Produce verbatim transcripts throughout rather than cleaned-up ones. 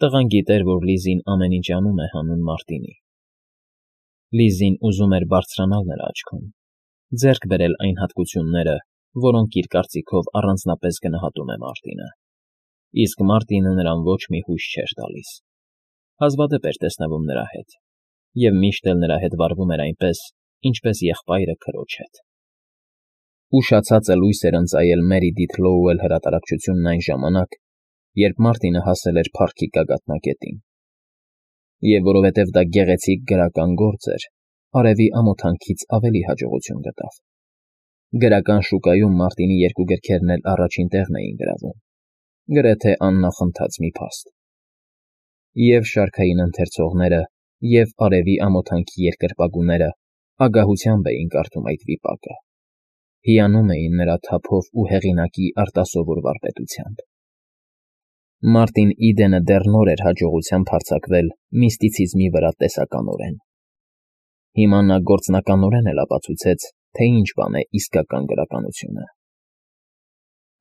Տղան գիտեր, որ Լիզին ամեն ինչ անում է հանուն Մարտինի։ Լիզին ուզում էր բարձրանալ նրա աչքում, ձեռք բերել այն հատկությունները, որոնք իր կարծիքով առանձնապես գնահատում է Մարտինը, իսկ Մարտինը նրան ոչ մի հույս չէր տալիս, հազվադեպ էր տեսնվում նրա հետ, և միշտ էլ նրա հետ վարվում էր այնպես, ինչպես եղբայրը քրոջ հետ։ Ուշացածը լույս էր ընծայել Մերիդիթ Լոուել հրատարակչությունն այն ժամանակ, երբ Մարտինը հասել էր փառքի գագաթնակետին, և որովհետև դա գեղեցիկ գրական գործ էր, արևի ամոթանքից ավելի հաջողություն գտավ։ Գրական շուկայում Մարտինի երկու գրքերն էլ առաջին տեղն էին գրավում, գրեթե աննախընթաց մի փաստ։ Եվ շարքային ընթերցողները, և արևի ամոթանքի երկրպագուները ագահությամբ էին կարդում այդ վիպակը, հիանում էին նրա թափով ու հեղինակի արտասովոր վարպետությամբ։ Մարտին Իդենը դեռ նոր էր հաջողությամբ հարձակվել միստիցիզմի վրա տեսականորեն։ Հիմա նա գործնականորեն էլ ապացուցեց, թե ինչ բան է իսկական գրականությունը։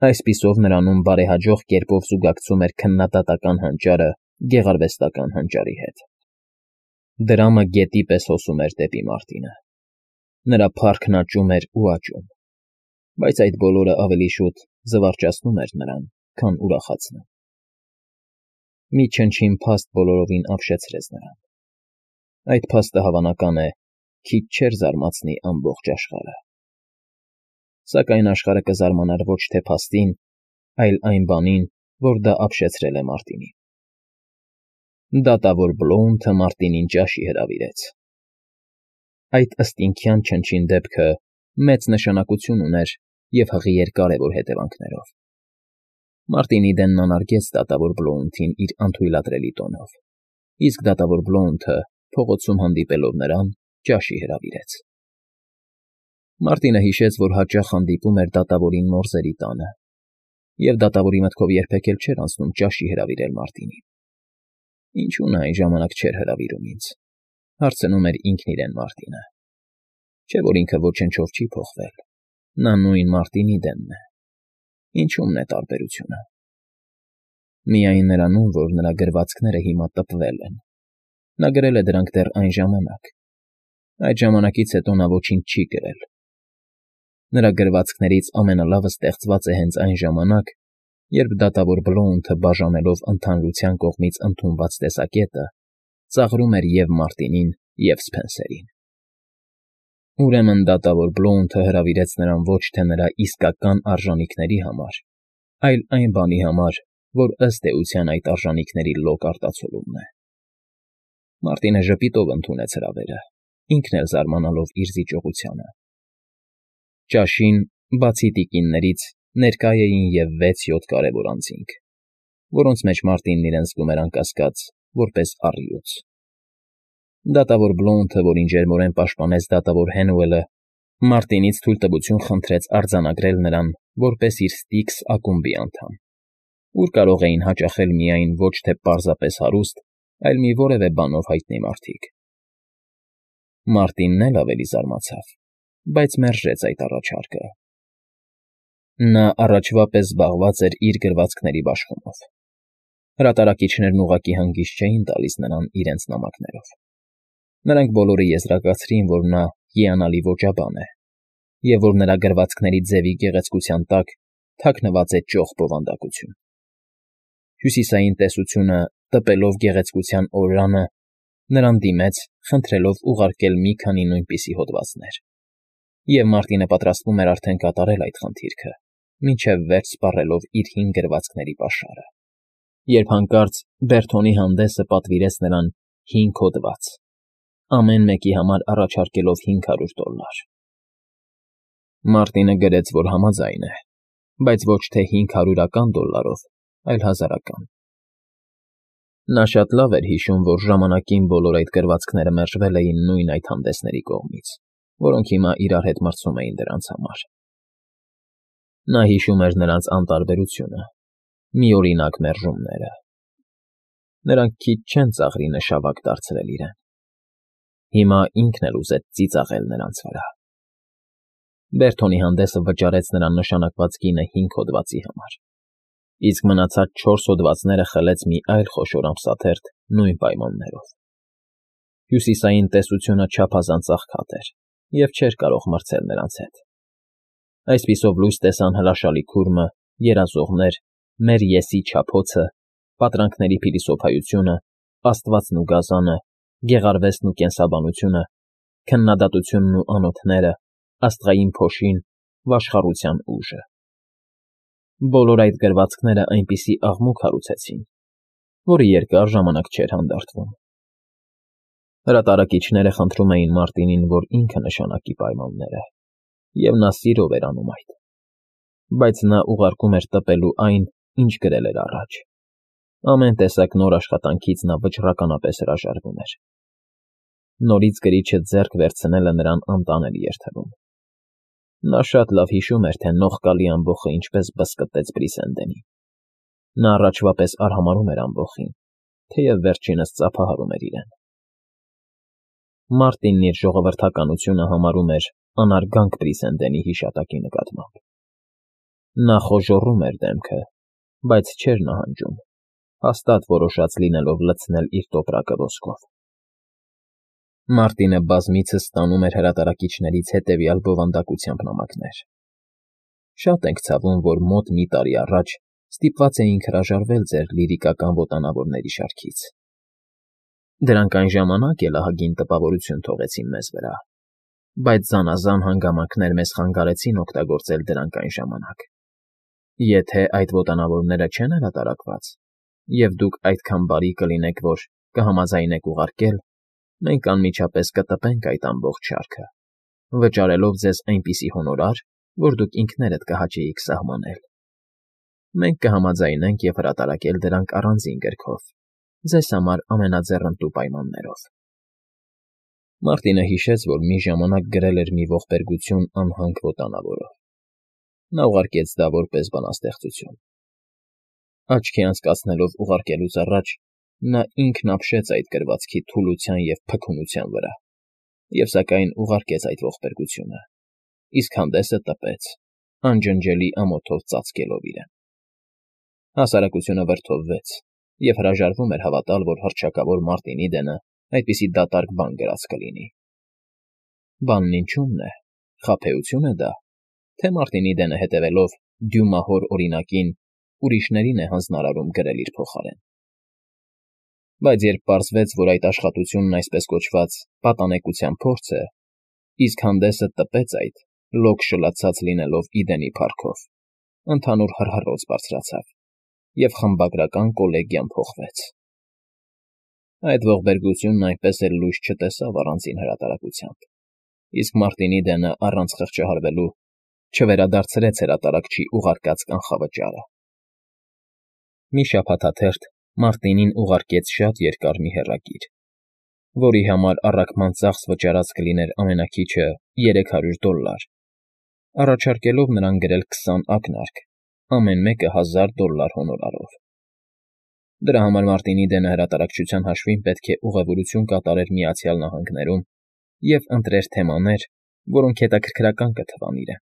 Այսպիսով նրանում բարեհաջող կերպով զուգակցում էր քննադատական հանճարը գեղարվեստական հանճարի հետ։ Դրամը գետի պես հոսում էր դեպի Մարտինը։ Նրա փառքն աճում էր ու աճում, բայց այդ բոլորը ավելի շուտ զվարճացնում էր նրան, քան ուրախացնում։ Մի չնչին փաստ բոլորովին ապշեցրեց նրան։ Այդ փաստը, հավանական է, քիչ չէր զարմացնի ամբողջ աշխարհը։ Սակայն աշխարհը կզարմանար ոչ թե փաստին, այլ այն բանին, որ դա ապշեցրել է Մարտինին։ Դատավոր Բլոունթը Մարտինին ճաշի հրավիրեց։ Այդ ըստինքյան չնչին դեպքը մեծ նշանակություն ուներ և հղի էր կարևոր հետևանքներով։ Մարտին Իդենն անարգեց դատավոր Բլոունթին իր անթույլատրելի տոնով, իսկ դատավոր Բլոունթը, փողոցում հանդիպելով նրան, ճաշի հրավիրեց։ Մարտինը հիշեց, որ հաճախ հանդիպում էր դատավորին Մորզերի տանը, և դատավորի մտքով երբեք էլ չէր անցնում ճաշի հրավիրել Մարտինին։ Ինչու նա այն ժամանակ չէր հրավիրում ինձ, հարցնում էր ինքն իրեն Մարտինը։ Չէ՞ որ ինքը ոչնչով չի փոխվել, նա նույն Մարտին Իդենն է։ Ինչու՞մն է տարբերությունը։ Միայն նրանում, որ նրա գրվածքները հիմա տպվել են։ Նա գրել է դրանք դեռ այն ժամանակ։ Այդ ժամանակից հետո նա ոչինչ չի գրել։ Նրա գրվածքներից ամենալավը ստեղծված է հենց այն ժամանակ, երբ դատավոր Բլոունթը, բաժանելով ընդհանրության կողմից ընդունված տեսակետը, ծաղրում էր և Մարտինին, և Սփենսերին։ Ուրեմն դատավոր Բլոունթը հրավիրեց նրան ոչ թե նրա իսկական արժանիքների համար, այլ այն բանի համար, որ ըստ էության այդ արժանիքների լոկ արտացոլումն է։ Մարտինը ժպիտով ընդունեց հրավերը, ինքն էլ զարմանալով իր զիջողությանը։ Ճաշին, բացի տիկիններից, ներկա էին և վեց֊յոթ կարևոր անձինք, որոնց մեջ Մարտինն իրեն զգում էր անկասկած, որպես առյուծ։ Դատավոր Բլոունթը, որին ջերմորեն պաշտպանեց դատավոր Հենուելը, Մարտինից թույլտվություն խնդրեց արձանագրել նրան որպես իր Ստիքս ակումբի անդամ, ուր կարող էին հաճախել միայն ոչ թե պարզապես հարուստ, այլ մի որևէ բանով հայտնի մարդիկ։ Մարտինն էլ ավելի զարմացավ, բայց մերժեց այդ առաջարկը։ Նա առաջվա պես զբաղված էր իր գրվածքների բաշխումով։ Հրատարակիչներն ուղղակի հանգիստ չէին տալիս նրան իրենց նամակներով։ Նրանք բոլորը եզրակացրին, որ նա հիանալի ոճաբան է, և որ նրա գրվածքների ձևի գեղեցկության տակ թաքնված է ճոխ բովանդակություն։ Հյուսիսային տեսությունը, տպելով գեղեցկության օրրանը, նրան դիմեց, խնդրելով ուղարկել մի քանի նույնպիսի հոդվածներ, և Մարտինը պատրաստվում էր արդեն կատարել այդ խնդիրքը, մինչև վերջ սպառելով իր հին գրվածքների պաշարը, երբ հանկարծ Բերթոնի հանդեսը պատվիրեց նրան հինգ հոդված, ամեն մեկի համար առաջարկելով հինգ հարյուր դոլլար։ Մարտինը գրեց, որ համաձայն է, բայց ոչ թե հինգ հարյուրական դոլլարով, այլ հազարական։ Նա շատ լավ էր հիշում, որ ժամանակին բոլոր այդ գրվածքները մերժվել էին նույն այդ հանդեսների կողմից, որոնք հիմա իրար հետ մրցում էին դրանց համար։ Նա հիշում էր նրանց անտարբերությունը, միօրինակ մերժումները։ Նրանք քիչ չեն ծաղրի նշավակ դարձրել իրեն։ Հիմա ինքն էլ ուզեց ծիծաղել նրանց վրա։ Բերթոնի հանդեսը վճարեց նրան նշանակված գինը հինգ հոդվածի համար, իսկ մնացած չորս հոդվածները խլեց մի այլ խոշոր ամսաթերթ նույն պայմաններով։ Հյուսիսային տեսությունը չափազանց աղքատ էր և չէր կարող մրցել նրանց հետ։ Այսպիսով լույս տեսան հրաշալի քուրմը, երազողներ, մեր ես֊ի չափոցը, պատրանքների փիլիսոփայությունը, աստվածն ու գազանը, գեղարվեստն ու կենսաբանությունը, քննադատությունն ու անոթները, աստղային փոշին, վաշխառության ուժը։ Բոլոր այդ գրվածքները այնպիսի աղմուկ հարուցեցին, որը երկար ժամանակ չէր հանդարտվում։ Հրատարակիչները խնդրում էին Մարտինին, որ ինքը նշանակի պայմանները, և նա սիրով էր անում այդ, բայց նա ուղարկում էր տպելու այն, ինչ գրել էր առաջ։ Ամեն տեսակ նոր աշխատանքից նա վճռականապես հրաժարվում էր։ Նորից գրիչը ձեռք վերցնելը նրան անտանելի էր թվում։ Նա շատ լավ հիշում էր, թե նողկալի ամբոխը ինչպես բզկտեց Բրիսենդենին։ Նա առաջվա պես արհամարհում էր ամբոխին, թեև վերջինս ծափահարում էր իրեն։ Մարտինն իր ժողովրդականությունը համարում էր անարգանք Բրիսենդենի հիշատակի նկատմամբ։ Նա խոժոռում էր դեմքը, բայց չէր նահանջում, հաստատ որոշած լինելով լցնել իր տոպրակը ոսկով։ Մարտինը բազմիցս ստանում էր հրատարակիչներից հետևյալ բովանդակությամբ նամակներ. «Շատ ենք ցավում, որ մոտ մի տարի առաջ ստիպված էինք հրաժարվել ձեր լիրիկական ոտանավորների շարքից։ Դրանք այն ժամանակ էլ ահագին տպավորություն թողեցին մեզ վրա, բայց զանազան հանգամանքներ մեզ խանգարեցին օգտագործել դրանք այն ժամանակ։ Եթե այդ ոտանավորները չեն հրատարակված, և դուք այդքան բարի կլինեք, որ կհամաձայնեք ուղարկել, մենք անմիջապես կտպենք այդ ամբողջ շարքը, վճարելով ձեզ այնպիսի հոնորար, որ դուք ինքներդ կհաճեիք սահմանել։ Մենք կհամաձայնենք և հրատարակել դրանք առանձին գրքով, ձեզ համար ամենաձեռնտու պայմաններով»։ Մարտինը հիշեց, որ մի ժամանակ գրել էր մի ողբերգություն անհանգ ոտանավորով։ Նա ուղարկեց դա որպես բանաստեղծություն։ Աչքի անցկացնելով ուղարկելուց առաջ նա ինքն ապշեց այդ գրվածքի թուլության և փքունության վրա, և սակայն ուղարկեց այդ ողբերգությունը, իսկ հանդեսը տպեց, անջնջելի ամոթով ծածկելով իրեն։ Հասարակությունը վրդովվեց և հրաժարվում էր հավատալ, որ հռչակավոր Մարտին Իդենը այդպիսի դատարկ բան գրած կլինի։ Բանն ինչո՞ւմն է, խաբեությո՞ւն է դա, թե Մարտին Իդենը հետևելով Դյումահոր օրինակին ուրիշներին է հանձնարարում գրել իր փոխարեն։ Բայց երբ պարզվեց, որ այդ աշխատությունն այսպես կոչված պատանեկության փորձ է, իսկ հանդեսը տպեց այդ, լոկ շլացած լինելով Իդենի փառքով, ընդհանուր հռհռոց բարձրացավ, և խմբագրական կոլեգիան փոխվեց։ Այդ ողբերգությունն այնպես էլ լույս չտեսավ առանձին հրատարակությամբ, իսկ Մարտին Իդենը առանց խղճահարվելու չվերադարձրեց հրատարակչի ուղարկած կանխավճարը։ Մի շաբաթաթերթ Մարտինին ուղարկեց շատ երկար մի հեռագիր, որի համար առաքման ծախս վճարած կլիներ ամենաքիչը երեք հարյուր դոլլար, առաջարկելով նրան գրել քսան ակնարկ, ամեն մեկը հազար դոլլար հոնորարով։ Դրա համար Մարտին Իդենը հրատարակչության հաշվին պետք է ուղևորություն կատարեր Միացյալ Նահանգներում և ընտրեր թեմաներ, որոնք հետաքրքրական կթվան իրեն։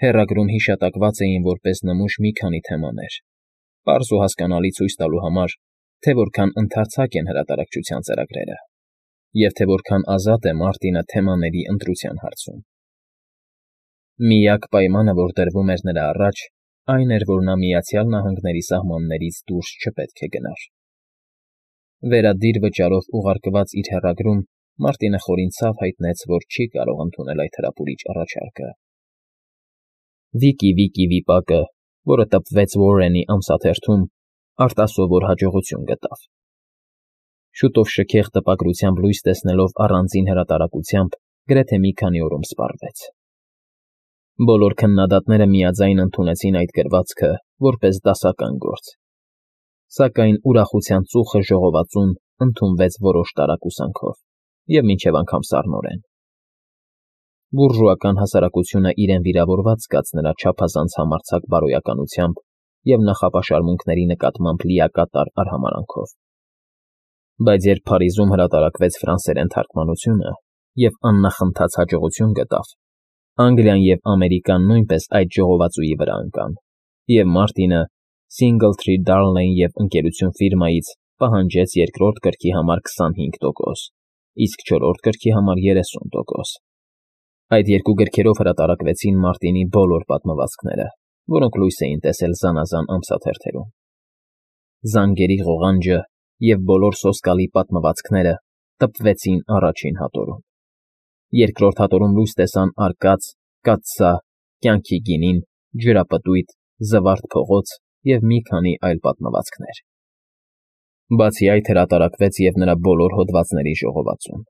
Հեռագրում հիշատակված էին որպես նմուշ մի քանի թեմաներ, պարզ ու հասկանալի ցույց տալու համար, թե որքան ընդարձակ են հրատարակչության ծրագրերը, և թե որքան ազատ է Մարտինը թեմաների ընտրության հարցում։ Միակ պայմանը, որ դրվում էր նրա առաջ, այն էր, որ նա Միացյալ Նահանգների սահմաններից դուրս չպետք է գնար։ Վերադիր վճարով ուղարկված իր հեռագրում Մարտինը խորին ցավ հայտնեց, որ չի կարող ընդունել այդ հրապուրիչ առաջարկը։ Վիկի Վիկի վիպակը, որը տպվեց Ուորենի ամսաթերթում, արտասովոր հաջողություն գտավ։ Շուտով շքեղ տպագրությամբ լույս տեսնելով առանձին հրատարակությամբ գրեթե մի քանի օրում սպառվեց։ Բոլոր քննադատները միաձայն ընդունեցին այդ գրվածքը որպես դասական գործ, սակայն ուրախության ծուխը ժողովածուն ընդունվեց որոշ տարակուսանքով և մինչև անգամ սառնորեն։ Բուրժուական հասարակությունը իրեն վիրավորված զգաց նրա չափազանց համարձակ բարոյականությամբ և նախապաշարմունքների նկատմամբ լիակատար արհամարհանքով։ Բայց երբ Փարիզում հրատարակվեց ֆրանսերեն թարգմանությունը և աննախընթաց հաջողություն գտավ, Անգլիան և Ամերիկան նույնպես այդ ժողովածուի վրա ընկան, և Մարտինը Singletree Darnley և Ընկերություն ֆիրմայից պահանջեց երկրորդ կրքի համար քսանհինգ տոկոս, իսկ չորրորդ կրքի համար երեսուն տոկոս։ Այդ երկու գրքերով հրատարակվեցին Մարտինի բոլոր պատմվածքները, որոնք լույս էին տեսել զանազան ամսաթերթերում։ Զանգերի ղողանջը և բոլոր սոսկալի պատմվածքները տպվեցին առաջին հատորում։ Երկրորդ հատորում լույս տեսան արկած, կաթսա, կյանքի գինին, ջրապտույտ, զվարթ փողոց և մի քանի այլ պատմվածքներ։ Բացի այդ հրատարակվեց և նրա բոլոր հոդվածների ժողովածուն,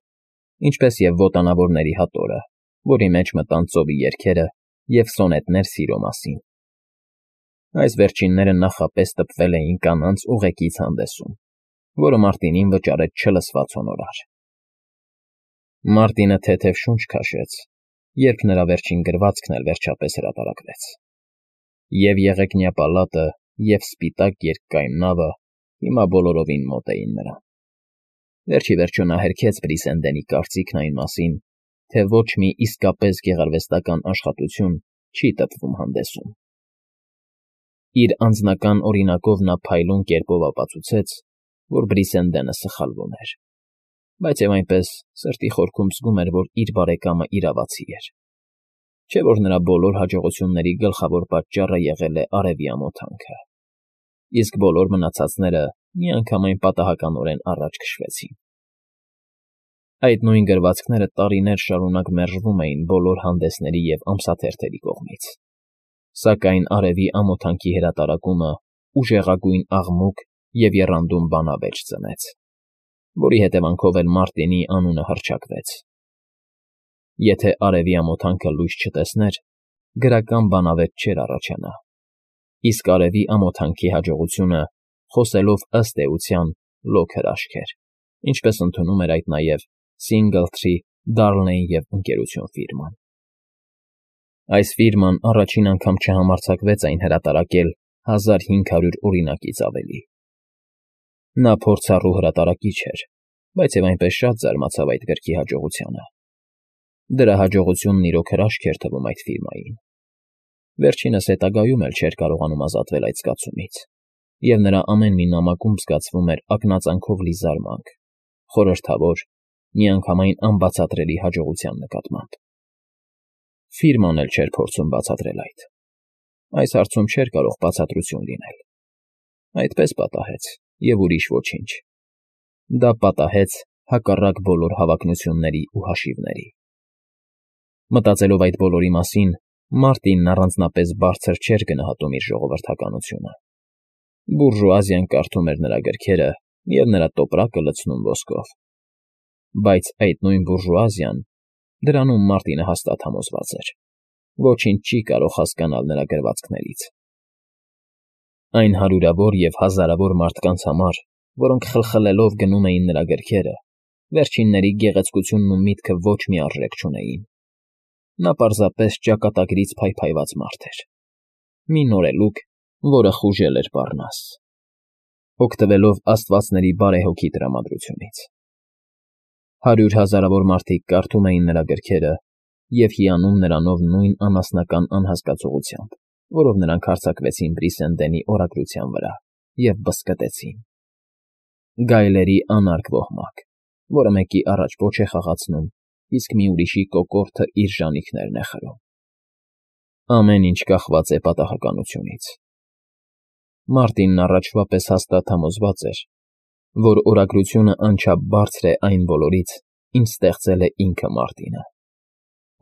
ինչպես և Ոտանավորների հատորը, որի մեջ մտան ծովի երգերը և սոնետներ սիրո մասին։ Այս վերջինները նախապես տպվել էին կանանց ուղեկից հանդեսում, որը Մարտինին վճարեց չլսված հոնորար։ Մարտինը թեթև շունչ քաշեց, երբ նրա վերջին գրվածքն էլ վերջապես հրատարակվեց։ Եվ եղեգնյա պալատը, և սպիտակ երկկայուն նավը հիմա բոլորովին մոտ էին նրան։ Վերջ ի վերջո նա հերքեց Բրիսենդենի կարծիքն այն մասին, թե ոչ մի իսկապես գեղարվեստական աշխատություն չի տպվում հանդեսում։ Իր անձնական օրինակով նա փայլուն կերպով ապացուցեց, որ Բրիսենդենը սխալվում էր, բայց և այնպես սրտի խորքում զգում էր, որ իր բարեկամը իրավացի էր, չէ՞ որ նրա բոլոր հաջողությունների գլխավոր պատճառը եղել է արևի ամոթանքը, իսկ բոլոր մնացածները միանգամայն պատահականորեն առաջ քշվեցին։ Այդ նույն գրվածքները տարիներ շարունակ մերժվում էին բոլոր հանդեսների և ամսաթերթերի կողմից, սակայն արևի ամոթանքի հրատարակումը ուժեղագույն աղմուկ և եռանդուն բանավեճ ծնեց, որի հետևանքով էլ Մարտինի անունը հռչակվեց։ Եթե արևի ամոթանքը լույս չտեսներ, գրական բանավեճ չէր առաջանա, իսկ արևի ամոթանքի հաջողությունը, խոսելով ըստ էության, լոկ հրաշք էր, ինչպես ընդունում էր այդ նաև Singletree, Darnley և Ընկերություն ֆիրման։ Այս ֆիրման առաջին անգամ չհամարձակվեց այն հրատարակել հազար հինգ հարյուր օրինակից ավելի։ Նա փորձառու հրատարակիչ էր, բայց և այնպես շատ զարմացավ այդ գրքի հաջողությանը։ Դրա հաջողությունն իրոք հրաշք էր թվում այդ ֆիրմային։ Վերջինս հետագայում էլ չէր կարողանում ազատվել այդ զգացումից, և նրա ամեն մի նամակում զգացվում էր ակնածանքով լի զարմանք, խորհրդավոր, միանգամայն անբացատրելի հաջողության նկատմամբ։ Ֆիրման էլ չէր փորձում բացատրել այդ։ Այս հարցում չէր կարող բացատրություն լինել։ Այդպես պատահեց, և ուրիշ ոչինչ։ Դա պատահեց հակառակ բոլոր հավակնությունների ու հաշիվների։ Մտածելով այդ բոլորի մասին, Մարտինն առանձնապես բարձր չէր գնահատում իր ժողովրդականությունը։ Բուրժուազիան կարդում էր նրա գրքերը և նրա տոպրակը լցնում ոսկով։ Բայց այդ նույն բուրժուազիան, դրանում Մարտինը հաստատ համոզված էր, ոչինչ չի կարող հասկանալ նրա գրվածքներից։ Այն հարյուրավոր և հազարավոր մարդկանց համար, որոնք խլխլելով գնում էին նրա գրքերը, վերջինների գեղեցկությունն ու միտքը ոչ մի արժեք չունեին։ Նա պարզապես ճակատագրից փայփայված մարդ էր։ Մի նորելուկ, որը խուժել էր պառնաս, օգտվելով աստվածների բարեհոգի տրամադրությունից։ Հարյուր հազարավոր մարդիկ կարդում էին նրա գրքերը և հիանում նրանով նույն անասնական անհասկացողությամբ, որով նրանք հարձակվեցին Բրիսենդենի օրագրության վրա և բզկտեցին։ Գայլերի անարգ ոհմակ, որը մեկի առաջ պոչ է խաղացնում, իսկ մի ուրիշի կոկորդը իր ժանիքներն է խրում։ Ամեն ինչ կախված է պատահականությունից։ Մարտինն առաջվա պես հաստատ համոզված էր, որ օրագրությունը անչափ բարձր է այն բոլորից, ինչ ստեղծել է ինքը Մարտինը։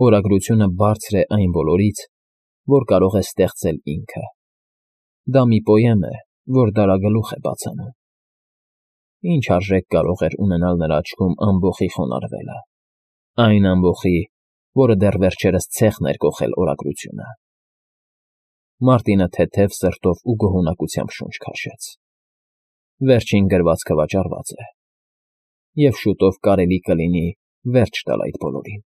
Օրագրությունը բարձր է այն բոլորից, որ կարող է ստեղծել ինքը։ Դա մի պոեմ է, որ դարագլուխ է բացանում։ Ինչ արժեք կարող էր ունենալ նրա աչքում ամբոխի խոնարհվելը, այն ամբոխի, որը դեռ վերջերս ցեխն էր կոխել օրագրությունը։ Մարտինը թեթև սրտով ու գոհունակությամբ շունչ քաշեց։ Վերջին գրվածքը վաճառված է, և շուտով կարելի կլինի վերջ տալ այդ բոլորին։